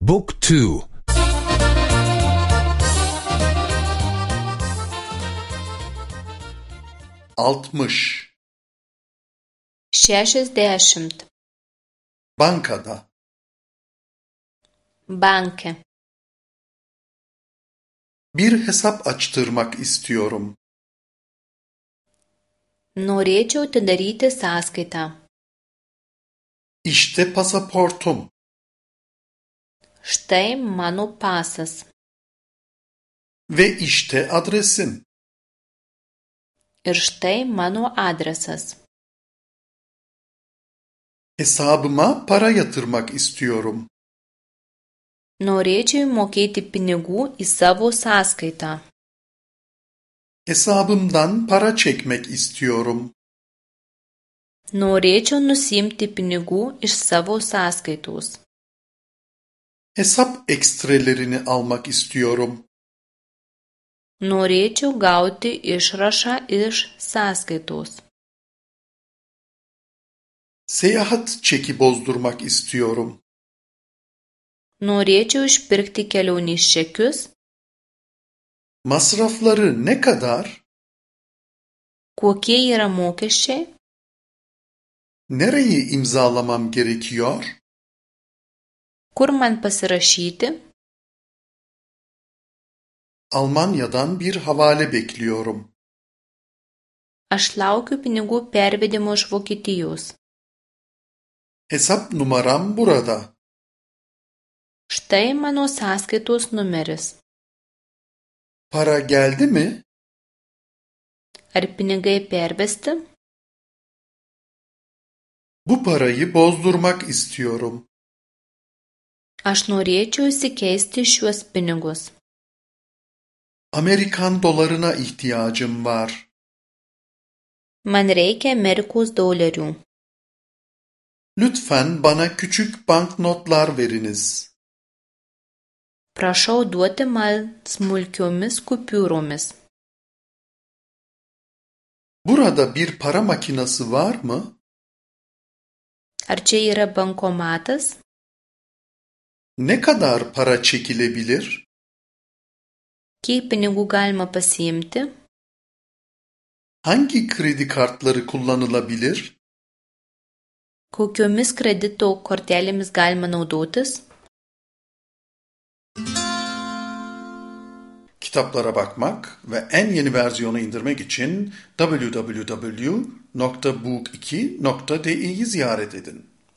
Book 2. 60. 60. Bankada. Banke. Bir hesap açtırmak istiyorum. Norėčiau atidaryti sąskaitą. İşte pasaportum. Štai mano pasas. Ve işte adresim. Ir štai mano adresas. Hesabıma para yatırmak istiyorum. Norėčiau įmokėti pinigų į savo sąskaitą. Hesabımdan para çekmek istiyorum. Norėčiau nusiimti pinigų iš savo sąskaitos. Hesap ekstrelerini almak istiyorum. Norėčiau gauti išrašą iš sąskaitos. Seyahat çeki bozdurmak istiyorum. Norėčiau išpirkti kelionės čekius. Masrafları ne kadar? Kokie yra mokesčiai? Nereyi imzalamam gerekiyor? Kur man pasirašyti? Almanya'dan bir havale bekliyorum. Aš laukiu pinigų pervedimo iš Vokietijos. Hesap numaram burada. Štai mano sąskaitos numeris. Para geldi mi? Ar pinigai pervesti? Bu parayı bozdurmak istiyorum. Aš norėčiau įsikeisti šiuos pinigus. Amerikan dolarına ihtiyacım var. Man reikia Amerikos dolerių. Lütfen bana küçük banknotlar veriniz. Prašau duoti man smulkiomis kupiūromis. Burada bir para makinesi var mı? Ar čia yra bankomatas? Ne kadar para çekilebilir? Kiek pinigų galima pasiimti? Hangi kredi kartları kullanılabilir? Kokiomis kredito kortelėmis galima naudotis? Kitaplara bakmak ve en yeni versiyonu indirmek için www.book2.de'yi ziyaret edin.